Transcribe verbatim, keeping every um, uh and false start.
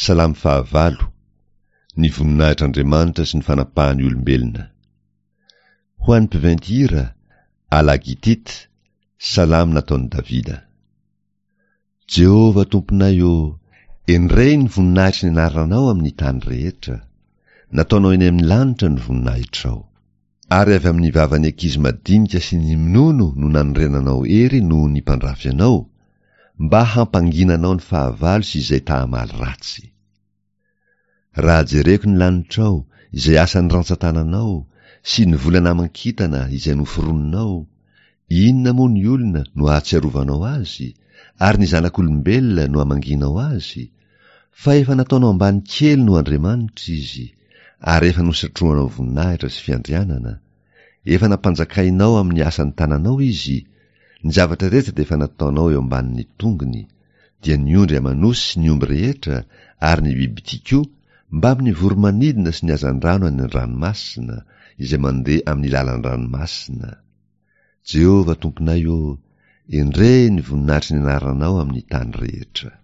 Salamo fahavalo, Ny voninahitr'Andriamanitra sy ny fanapahan'ny olombelona. Ho an'ny mpiventy hira, à la Gittit, Salamo nataon'i Davida. Jehovah Tomponay ô, endrey ny voninahitry ny anaranao amin'ny tany rehetra. Nataonao eny amin'ny lanitra ny voninahitrao. Ary avy amin'ny vavan'ny ankizy madinika sy ny minono no nanorenanao hery noho ny mpandrafy anao, mba hampanginanao ny fahavalo sy izay ta-hamaly ratsy. Raha jereko ny lanitrao, izay asan'ny rantsan-tananao, sy ny volana aman-kintana izay noforoninao, inona moa ny olona no ahatsiarovanao azy, ary ny zanak'olombelona no amangianao azy? Fa efa nataonao ambany kely noho Andriamanitra izy, ary efa nosatrohanao voninahitra sy fiandrianana. Efa nampanjakainao amin'ny asan'ny tananao izy, ny zavatra rehetra dia efa nataonao eo ambanin'ny tongony, dia ny ondry aman'osy sy ny omby rehetra ary ny bibidia koa, mbamin'ny voro-manidina sy ny hazandrano any an-dranomasina, izay mandeha amin'ny lalan-dranomasina. Jehovah Tomponay ô, endrey ny voninahitry ny anaranao amin'ny tany rehetra.